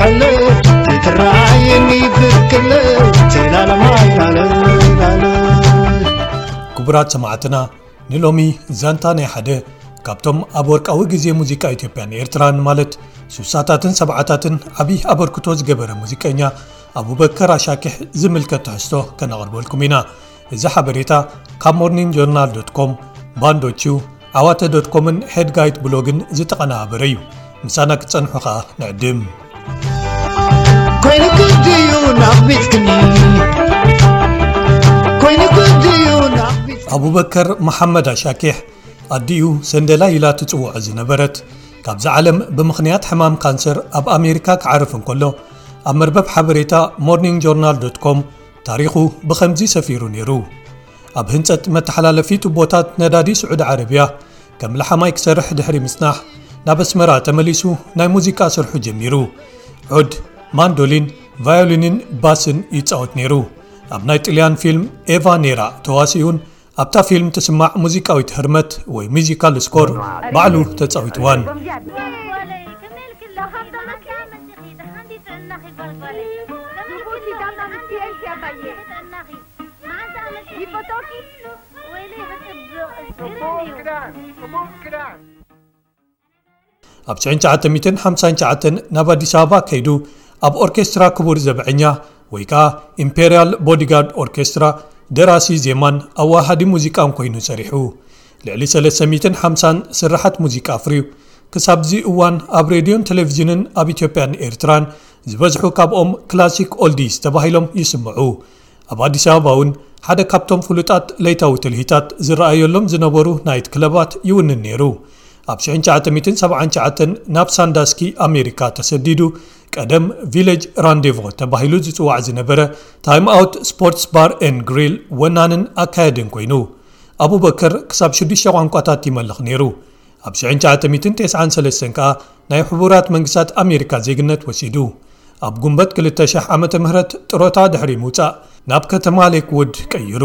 ዓለ ዘይትረኣየኒ ብርክለ ቴላለ ማይ ላለ ላለ። ክቡራት ሰማዕትና፣ ንሎሚ ዛንታ ናይ ሓደ ካብቶም ኣብ ወርቃዊ ግዜ ሙዚቃ ኢትዮጵያን ኤርትራን፣ ማለት ሱሳታትን ሰብዓታትን፣ ዓብዪ ኣበርክቶ ዝገበረ ሙዚቀኛ ኣቡበከር ኣሻኪሕ ዝምልከት ትሕዝቶ ከነቕርበልኩም ኢና። እዚ ሓበሬታ ካብ ሞርኒንግ ጆርናል ዶት ኮም፣ ባንዶቹ፣ ዓዋተ ዶት ኮምን ሄድጋይት ብሎግን ዝተቐነባበረ እዩ። ምሳና ክትጸንሑ ኸኣ ንዕድም። ኮይኑ ግድዩ ናቕቢትክኒ፣ ኮይኑ ግድዩ ናቕቢት ኣቡበከር መሓመድ ኣሻኪሕ ኣዲኡ ሰንደላ ኢላ ትጽውዖ ዝነበረት፣ ካብዛ ዓለም ብምኽንያት ሕማም ካንሰር ኣብ ኣሜሪካ ክዓርፍ እንከሎ፣ ኣብ መርበብ ሓበሬታ ሞርኒንግ ጆርናል ዶት ኮም ታሪኹ ብኸምዚ ሰፊሩ ነይሩ። ኣብ ህንጸት መተሓላለፊ ቱቦታት ነዳዲ ስዑዲ ዓረብያ ከም ለሓማይ ክሰርሕ ድሕሪ ምጽናሕ፣ ናብ ኣስመራ ተመሊሱ ናይ ሙዚቃ ስርሑ ጀሚሩ። ዑድ፣ ማንዶሊን፣ ቫዮሊንን ባስን ይጻወት ነይሩ። ኣብ ናይ ጥልያን ፊልም ኤቫ ኔራ ተዋሲኡን ኣብታ ፊልም ትስማዕ ሙዚቃዊት ህርመት ወይ ሚዚካል ስኮር ባዕሉ ተጻዊትዋን። ኣብ ሽሕን ትሽዓተ ሚእትን ሓምሳን ትሽዓተን ናብ ኣዲስ ኣበባ ከይዱ፣ ኣብ ኦርኬስትራ ክቡር ዘብዐኛ ወይ ከኣ ኢምፔርያል ቦዲጋርድ ኦርኬስትራ ደራሲ ዜማን ኣዋሃዲ ሙዚቃን ኮይኑ ሰሪሑ። ልዕሊ ሰለስተ ሚእትን ሓምሳን ስርሓት ሙዚቃ ኣፍርዩ። ክሳብዚ እዋን ኣብ ሬድዮን ቴሌቪዥንን ኣብ ኢትዮጵያን ኤርትራን ዝበዝሑ ካብኦም ክላሲክ ኦልዲስ ተባሂሎም ይስምዑ። ኣብ ኣዲስ ኣበባ እውን ሓደ ካብቶም ፍሉጣት ለይታዊ ትልሂታት ዝረኣየሎም ዝነበሩ ናይት ክለባት ይውንን ነይሩ። ኣብ ሽሕን ትሽዓተ ሚእትን ሰብዓን ትሽዓተን ናብ ሳንዳስኪ ኣሜሪካ ተሰዲዱ፣ ቀደም ቪሌጅ ራንዴቮ ተባሂሉ ዝጽዋዕ ዝነበረ ታይም ኣውት ስፖርትስ ባር ኤን ግሪል ወናንን ኣካየድን ኮይኑ፣ ኣቡበከር ክሳብ ሽዱሽተ ቋንቋታት ይመልኽ ነይሩ። ኣብ ሽሕን ትሽዓተ ሚእትን ተስዓን ሰለስተን ከኣ ናይ ሕቡራት መንግስታት ኣሜሪካ ዜግነት ወሲዱ። ኣብ ጉንበት ክልተ ሺሕ ዓመተ ምህረት ጥሮታ ድሕሪ ምውጻእ ናብ ከተማ ሌክውድ ቀይሩ።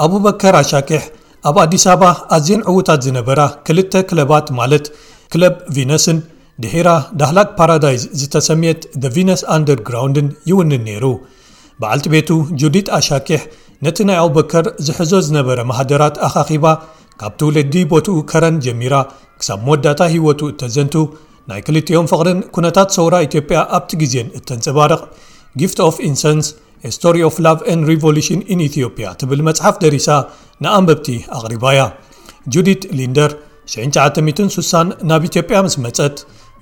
ኣቡበከር ኣሻኪሕ ኣብ ኣዲስ ኣበባ ኣዝየን ዕዉታት ዝነበራ ክልተ ክለባት፣ ማለት ክለብ ቪነስን ድሒራ ዳህላክ ፓራዳይዝ ዝተሰምየት The Venus Undergroundን ይውንን ነይሩ። በዓልቲ ቤቱ ጁዲት ኣሻኪሕ ነቲ ናይ ኣቡበከር ዝሕዞ ዝነበረ ማህደራት ኣኻኺባ፣ ካብ ትውልዲ ቦትኡ ከረን ጀሚራ ክሳብ መወዳእታ ህይወቱ እተዘንቱ፣ ናይ ክልቲኦም ፍቕርን ኩነታት ሰውራ ኢትዮጵያ ኣብቲ ግዜን እተንጸባርቕ ጊፍት ኦፍ ኢንሰንስ፣ A Story of Love and Revolution in Ethiopia ትብል መጽሓፍ ደሪሳ ንኣንበብቲ ኣቕሪባ'ያ። ጁዲት ሊንደር ሽሕን ትሽዓተ ሚእትን ስሳን ናብ ኢትዮጵያ ምስ መጸት፣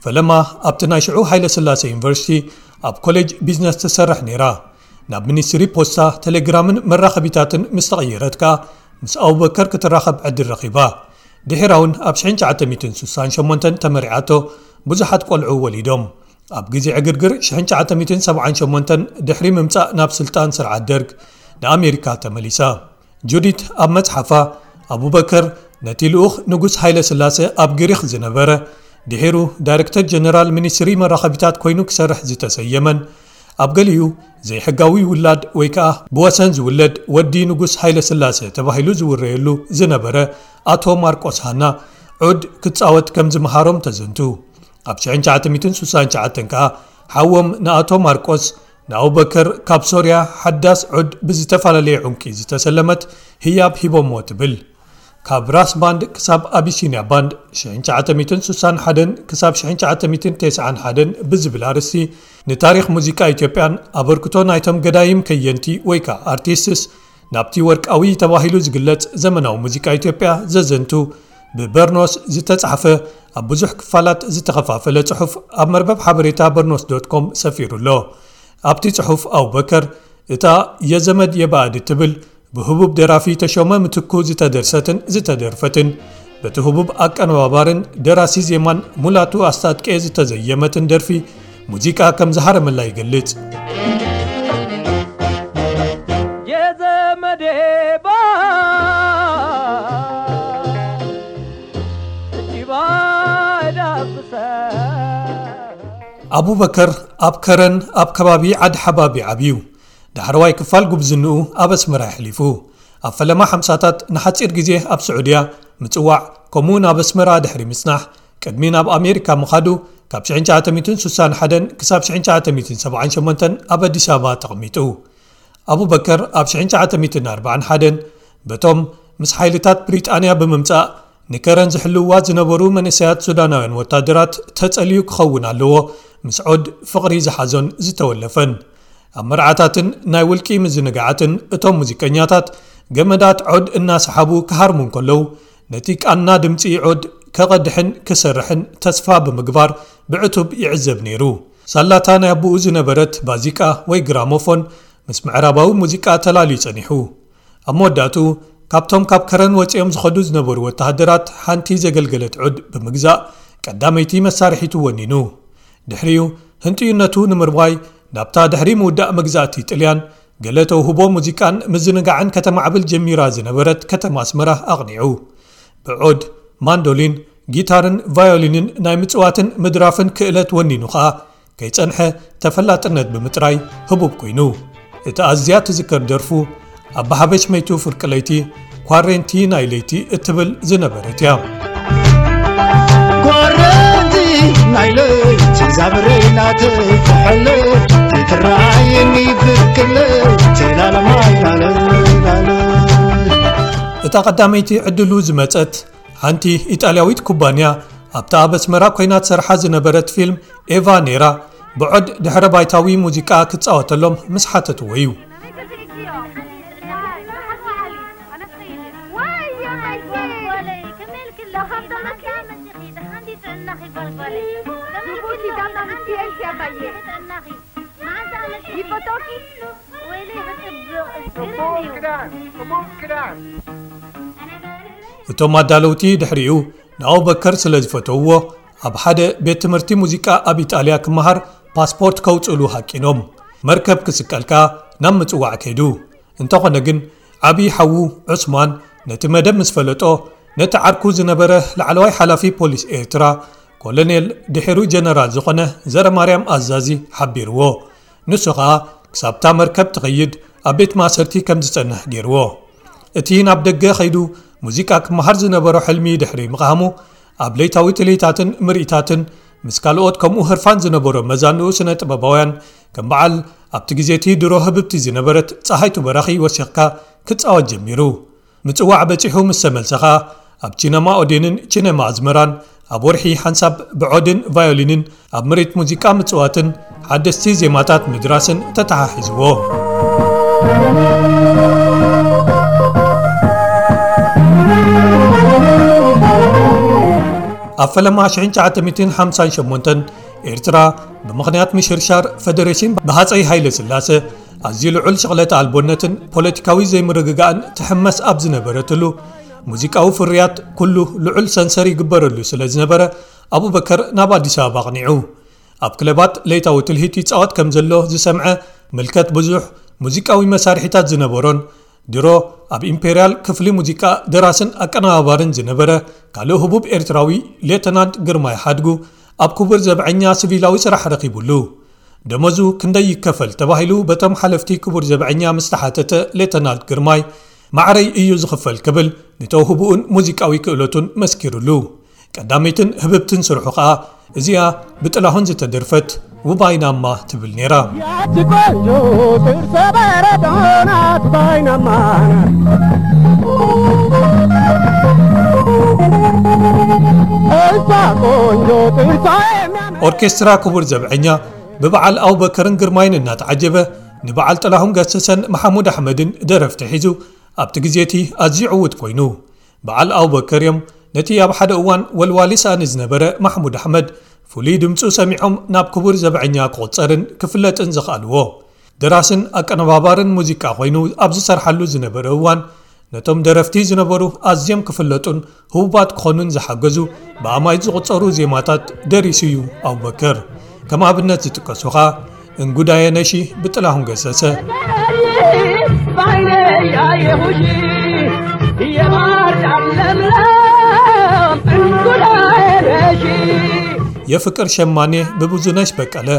ፈለማ ኣብቲ ናይ ሽዑ ሃይለ ስላሴ ዩኒቨርሲቲ ኣብ ኮሌጅ ቢዝነስ ትሰርሕ ነይራ። ናብ ሚኒስትሪ ፖስታ፣ ቴሌግራምን መራኸቢታትን ምስ ተቐየረት ከኣ ምስ ኣቡበከር ክትራኸብ ዕድል ረኺባ። ድሒራ እውን ኣብ ሽሕን ትሽዓተ ሚእትን ስሳን ሸሞንተን ተመርዓቶ፣ ብዙሓት ቆልዑ ወሊዶም። ኣብ ግዜ ዕግርግር ሽሕን ትሽዓተ ሚእትን ሰብዓን ሸሞንተን ድሕሪ ምምጻእ ናብ ስልጣን ስርዓት ደርግ ንኣሜሪካ ተመሊሳ። ጁዲት ኣብ መጽሓፋ፣ ኣቡበከር ነቲ ልኡኽ ንጉስ ሃይለ ስላሴ ኣብ ግሪኽ ዝነበረ፣ ድሒሩ ዳይረክተር ጀነራል ሚኒስትሪ መራኸቢታት ኮይኑ ክሰርሕ ዝተሰየመን፣ ኣብ ገሊኡ ዘይሕጋዊ ውላድ ወይ ከኣ ብወሰን ዝውለድ ወዲ ንጉስ ሃይለ ስላሴ ተባሂሉ ዝውረየሉ ዝነበረ ኣቶ ማርቆስ ሃና ዑድ ክጻወት ከም ዝመሃሮም ተዘንቱ። ኣብ ሽሕን ትሽዓተ ሚእትን ስሳን ትሽዓተን ከኣ ሓዎም ንኣቶ ማርቆስ ንኣቡበከር ካብ ሶርያ ሓዳስ ዑድ ብዝተፈላለየ ዑንቂ ዝተሰለመት ህያብ ሂቦሞ ትብል። ካብ ራስ ባንድ ክሳብ ኣቢሲንያ ባንድ፣ ሽሕን ትሽዓተ ሚእትን ስሳን ሓደን ክሳብ ሽሕን ትሽዓተ ሚእትን ተስዓን ሓደን ብዝብል ኣርእስቲ ንታሪኽ ሙዚቃ ኢትዮጵያን ኣበርክቶ ናይቶም ገዳይም ከየንቲ ወይ ከኣ ኣርቲስትስ ናብቲ ወርቃዊ ተባሂሉ ዝግለጽ ዘመናዊ ሙዚቃ ኢትዮጵያ ዘዘንቱ ብበርኖስ ዝተጻሕፈ ኣብ ብዙሕ ክፋላት ዝተኸፋፈለ ጽሑፍ ኣብ መርበብ ሓበሬታ በርኖስ ዶት ኮም ሰፊሩ ኣሎ። ኣብቲ ጽሑፍ ኣቡበከር እታ የዘመድ የባዕድ እትብል ብህቡብ ደራፊ ተሾመ ምትኩ ዝተደርሰትን ዝተደርፈትን በቲ ህቡብ ኣቀነባባርን ደራሲ ዜማን ሙላቱ ኣስታጥቄ ዝተዘየመትን ደርፊ ሙዚቃ ከም ዝሃረመላ ይገልጽ። የዘመዴ ባል እጅባ ዳብሰ ኣቡበከር ኣብ ከረን ኣብ ከባቢ ዓዲ ሓባቢ ዓብዩ። ዳሕረዋይ ክፋል ጉብዝንኡ ኣብ ኣስመራ የሕሊፉ። ኣብ ፈለማ ሓምሳታት ንሓጺር ግዜ ኣብ ስዑድያ ምጽዋዕ፣ ከምኡ ናብ ኣስመራ ድሕሪ ምጽናሕ፣ ቅድሚ ናብ ኣሜሪካ ምኻዱ፣ ካብ ሽሕን ትሽዓተ ሚእትን ስሳን ሓደን ክሳብ ሽሕን ትሽዓተ ሚእትን ሰብዓን ሸሞንተን ኣብ ኣዲስ ኣበባ ተቐሚጡ። ኣቡበከር ኣብ ሽሕን ትሽዓተ ሚእትን ኣርባዓን ሓደን በቶም ምስ ሓይልታት ብሪጣንያ ብምምጻእ ንከረን ዝሕልውዋ ዝነበሩ መንእሰያት ሱዳናውያን ወታደራት ተጸልዩ ክኸውን ኣለዎ፣ ምስ ዖድ ፍቕሪ ዝሓዞን ዝተወለፈን። ኣብ መርዓታትን ናይ ውልቂ ምዝንጋዓትን እቶም ሙዚቀኛታት ገመዳት ዖድ እናሰሓቡ ክሃርሙ እንከለዉ፣ ነቲ ቃና ድምጺ ዖድ ከቐድሕን ክሰርሕን ተስፋ ብምግባር ብዕቱብ ይዕዘብ ነይሩ። ሳላታ ናይ ኣቦኡ ዝነበረት ባዚቃ ወይ ግራሞፎን ምስ ምዕራባዊ ሙዚቃ ተላልዩ ጸኒሑ። ኣብ መወዳእትኡ፣ ካብቶም ካብ ከረን ወጺኦም ዝኸዱ ዝነበሩ ወተሃደራት ሓንቲ ዘገልገለት ዑድ ብምግዛእ፣ ቀዳመይቲ መሳርሒቱ ወኒኑ። ድሕሪኡ፣ ህንጥዩነቱ ንምርዋይ፣ ናብታ ድሕሪ ምውዳእ መግዛእቲ ጥልያን፣ ገለ ተውህቦ ሙዚቃን ምዝንጋዕን ከተማዕብል ጀሚራ ዝነበረት ከተማ ኣስመራ ኣቕኒዑ። ብዑድ፣ ማንዶሊን፣ ጊታርን ቫዮሊንን ናይ ምጽዋትን ምድራፍን ክእለት ወኒኑ ኸኣ፣ ከይጸንሐ ተፈላጥነት ብምጥራይ ህቡብ ኮይኑ። እታ ኣዝያ ትዝከር ደርፉ፣ ኣባ ሓበሽ መይቱ ፍርቂ ለይቲ፣ ኳሬንቲ ናይ ለይቲ እትብል ዝነበረት እያ። ኳረንቲ ናይ ለይቲ ዛብሬናተይ ትሕልፍ ትትረኣየኒ ብክለይ ትላለማይ ላለላለ እታ ቀዳመይቲ ዕድሉ ዝመጸት ሓንቲ ኢጣልያዊት ኩባንያ ኣብታ ኣብ ኣስመራ ኮይና ትሰርሓ ዝነበረት ፊልም ኤቫ ነይራ። ብዖድ ድሕረ ባይታዊ ሙዚቃ ክጻወተሎም ምስ ሓተትዎ እዩ። እቶም ኣዳለውቲ ድሕሪኡ ንኣቡበከር ስለ ዝፈተውዎ፣ ኣብ ሓደ ቤት ትምህርቲ ሙዚቃ ኣብ ኢጣልያ ክመሃር ፓስፖርት ከውጽእሉ ሃቂኖም። መርከብ ክስቀል ከኣ ናብ ምጽዋዕ ከይዱ። እንተኾነ ግን፣ ዓቢ ሓዉ ዑስማን ነቲ መደብ ምስ ፈለጦ፣ ነቲ ዓርኩ ዝነበረ ላዕለዋይ ሓላፊ ፖሊስ ኤርትራ፣ ኮሎኔል ድሒሩ ጀነራል ዝኾነ ዘረማርያም ኣዛዚ ሓቢርዎ። ንሱ ኸኣ ክሳብታ መርከብ ትኸይድ ኣብ ቤት ማእሰርቲ ከም ዝጸንሕ ገይርዎ። እቲ ናብ ደገ ኸይዱ ሙዚቃ ክመሃር ዝነበሮ ሕልሚ ድሕሪ ምቕሃሙ፣ ኣብ ለይታዊ ትልሂታትን ምርኢታትን ምስ ካልኦት ከምኡ ህርፋን ዝነበሮ መዛንኡ ስነ ጥበባውያን፣ ከም በዓል ኣብቲ ግዜ እቲ ድሮ ህብብቲ ዝነበረት ጸሃይቱ በራኺ ወሲኽካ ክጻወት ጀሚሩ። ምጽዋዕ በጺሑ ምስ ተመልሰ ኸኣ፣ ኣብ ቺነማ ኦዴንን ቺነማ ኣዝመራን ኣብ ወርሒ ሓንሳብ ብዖድን ቫዮሊንን ኣብ ምርኢት ሙዚቃ ምጽዋትን ሓደስቲ ዜማታት ምድራስን ተተሓሒዝዎ። ኣብ ፈለማ ሽሕን ትሽዓተ ሚእትን ሓምሳን ሸሞንተን ኤርትራ ብምኽንያት ምሽርሻር ፈደሬሽን ብሃጸይ ሃይለ ስላሰ ኣዝዩ ልዑል ሽቕለተ ኣልቦነትን ፖለቲካዊ ዘይምርግጋእን ትሕመስ ኣብ ዝነበረትሉ፣ ሙዚቃዊ ፍርያት ኩሉ ልዑል ሰንሰር ይግበረሉ ስለ ዝነበረ፣ ኣቡበከር ናብ ኣዲስ ኣበባ ኣቕኒዑ። ኣብ ክለባት ለይታዊ ትልሂት ይጻወት ከም ዘሎ ዝሰምዐ ምልከት ብዙሕ ሙዚቃዊ መሳርሒታት ዝነበሮን ድሮ ኣብ ኢምፔርያል ክፍሊ ሙዚቃ ደራስን ኣቀነባባርን ዝነበረ ካልእ ህቡብ ኤርትራዊ ሌተናንት ግርማይ ሓድጉ ኣብ ክቡር ዘብዐኛ ሲቪላዊ ስራሕ ረኺቡሉ። ደሞዙ ክንደይ ይከፈል ተባሂሉ በቶም ሓለፍቲ ክቡር ዘብዐኛ ምስ ተሓተተ ሌተናንት ግርማይ፣ ማዕረይ እዩ ዝኽፈል ክብል ንተውህቡኡን ሙዚቃዊ ክእለቱን መስኪሩሉ። ቀዳመይትን ህብብትን ስርሑ ኸኣ እዚኣ ብጥላሁን ዝተደርፈት ውባይናማ ትብል ነይራ። ያቺ ቆንጆ ጥርሰ በረዶ ናት ባይናማ ናት። እዛ ቆንጆ ጥርሷ የሚያምር ኦርኬስትራ ክቡር ዘብዐኛ ብበዓል ኣቡበከርን ግርማይን እናተዓጀበ ንበዓል ጥላሁን ገሰሰን መሓሙድ ኣሕመድን ደረፍቲ ሒዙ ኣብቲ ግዜ እቲ ኣዝዩ ዕዉት ኮይኑ። በዓል ኣቡበከር እዮም ነቲ ኣብ ሓደ እዋን ወልዋሊ ሳእኒ ዝነበረ ማሕሙድ ኣሕመድ ፍሉይ ድምጹ ሰሚዖም ናብ ክቡር ዘብዐኛ ክቑጸርን ክፍለጥን ዘኽኣልዎ። ደራስን ኣቀነባባርን ሙዚቃ ኮይኑ ኣብ ዝሰርሓሉ ዝነበረ እዋን ነቶም ደረፍቲ ዝነበሩ ኣዝዮም ክፍለጡን ህቡባት ክኾኑን ዝሓገዙ ብኣማኢት ዝቑጸሩ ዜማታት ደሪሱ እዩ ኣቡበከር። ከም ኣብነት ዝጥቀሱ ኸኣ እንጉዳየ ነሺ ብጥላሁን ገሰሰ። የፍቅር ሸማኔ ብብዙነሽ በቀለ።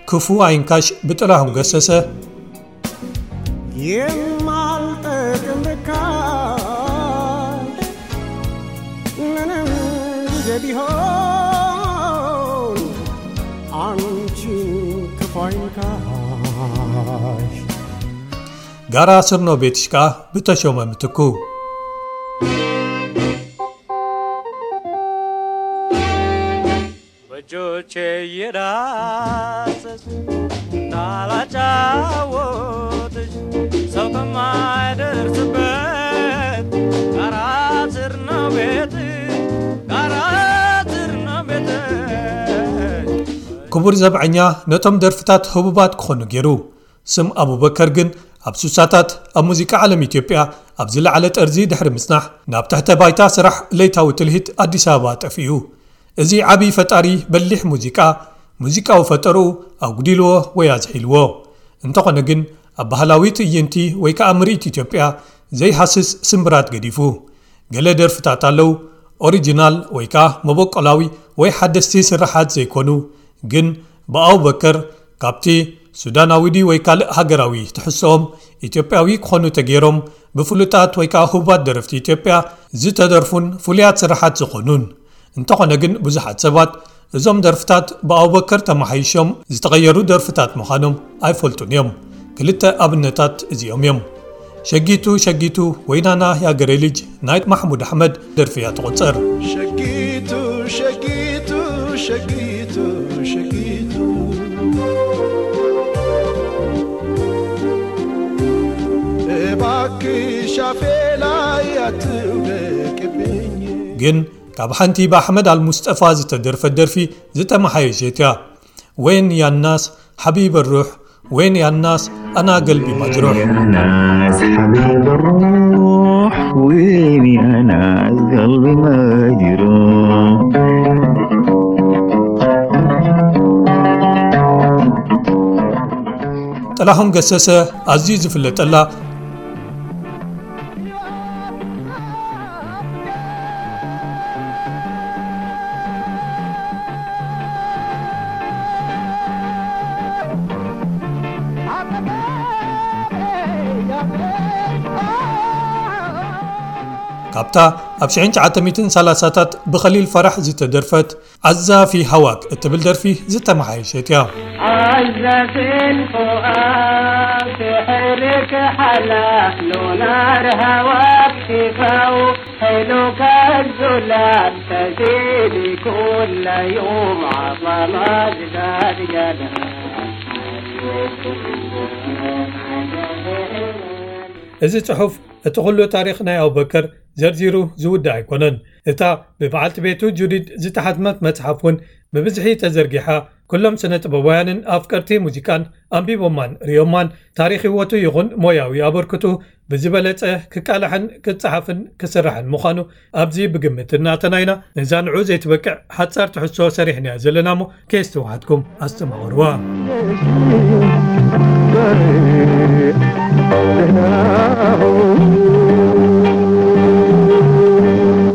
ክፉ ኣይንካሽ ብጥላሁን ገሰሰ። የማልጠቅም ርካሽ ምንም ጊዜ ቢሆን አንቺን ክፉ አይንካሽ። ጋራ ስርኖ ቤትሽ ከኣ ብተሾመ ምትኩ። በእጆቼ እየዳሰስ እንዳላጫወትሽ ሰው ከማይደርስበት ጋራ ስር ነው ቤትሽ፣ ጋራ ስር ነው ቤትሽ። ክቡር ዘብዐኛ ነቶም ደርፍታት ህቡባት ክኾኑ ገይሩ። ስም ኣቡበከር ግን ኣብ ሱሳታት ኣብ ሙዚቃ ዓለም ኢትዮጵያ ኣብ ዝለዓለ ጠርዚ ድሕሪ ምጽናሕ፣ ናብ ትሕተ ባይታ ስራሕ ለይታዊ ትልሂት ኣዲስ ኣበባ ጠፊኡ። እዚ ዓቢ ፈጣሪ በሊሕ ሙዚቃ፣ ሙዚቃዊ ፈጠርኡ ኣጉዲልዎ ወይ ኣዝሒልዎ። እንተኾነ ግን ኣብ ባህላዊ ትዕይንቲ ወይ ከኣ ምርኢት ኢትዮጵያ ዘይሃስስ ስምብራት ገዲፉ። ገለ ደርፍታት ኣለዉ፣ ኦሪጂናል ወይ ከኣ መበቆላዊ ወይ ሓደስቲ ስርሓት ዘይኮኑ፣ ግን ብኣቡበከር ካብቲ ሱዳናዊ ድዩ ወይ ካልእ ሃገራዊ ትሕዝቶኦም ኢትዮጵያዊ ክኾኑ ተገይሮም ብፍሉጣት ወይ ከኣ ህቡባት ደረፍቲ ኢትዮጵያ ዝተደርፉን ፍሉያት ስርሓት ዝኾኑን። እንተኾነ ግን ብዙሓት ሰባት እዞም ደርፍታት ብኣቡበከር ተመሓይሾም ዝተቐየሩ ደርፍታት ምዃኖም ኣይፈልጡን እዮም። ክልተ ኣብነታት እዚኦም እዮም። ሸጊቱ ሸጊቱ ወይ ናና ያገሬ ልጅ ናይ ማሕሙድ ኣሕመድ ደርፊ እያ ትቑጸር። ሸጊቱ ሸጊቱ ሸጊቱ ሸጊቱ እባክሽ ኣፌ ላይ ኣትውደቅብኝ። ግን ካብ ሓንቲ ብኣሕመድ ኣልሙስጠፋ ዝተደርፈት ደርፊ ዝተመሓየሸት እያ። ወይን ያናስ ሓቢብ ሩሕ፣ ወይን ያናስ ኣና ገልቢ ማጅሩሕ። يا ناس حبيب الروح، وين يا ناس قلبي مجروح. ጥላሁን ገሰሰ ኣዝዩ ዝፍለጠላ ካብታ ኣብ ሽሕን ትሽዓተ ሚእትን ሰላሳታት ብኸሊል ፈራሕ ዝተደርፈት ዓዛፊ ሃዋክ እትብል ደርፊ ዝተመሓየሸት እያ። عزة الفؤاد تحرك حلا لو نار هواك تفوح حلو كالزلال تزيد كل يوم عظمة زاد جلال. እዚ ጽሑፍ እቲ ኩሉ ታሪኽ ናይ ኣቡበከር ዘርዚሩ ዝውዳእ ኣይኮነን። እታ ብበዓልቲ ቤቱ ጁዲድ ዝተሓትመት መጽሓፍ እውን ብብዝሒ ተዘርጊሓ፣ ኩሎም ስነ ጥበባውያንን ኣፍቀርቲ ሙዚቃን ኣንቢቦማን ርእዮማን፣ ታሪኽ ህይወቱ ይኹን ሞያዊ ኣበርክቱ ብዝበለጸ ክቃላሕን ክጸሓፍን ክስራሕን ምዃኑ ኣብዚ ብግምት እናተናይና፣ ነዛ ንዑ ዘይትበቅዕ ሓጻር ትሕዝቶ ሰሪሕናያ ዘለና እሞ ከየስተውሓትኩም ኣስተማቕርዋ።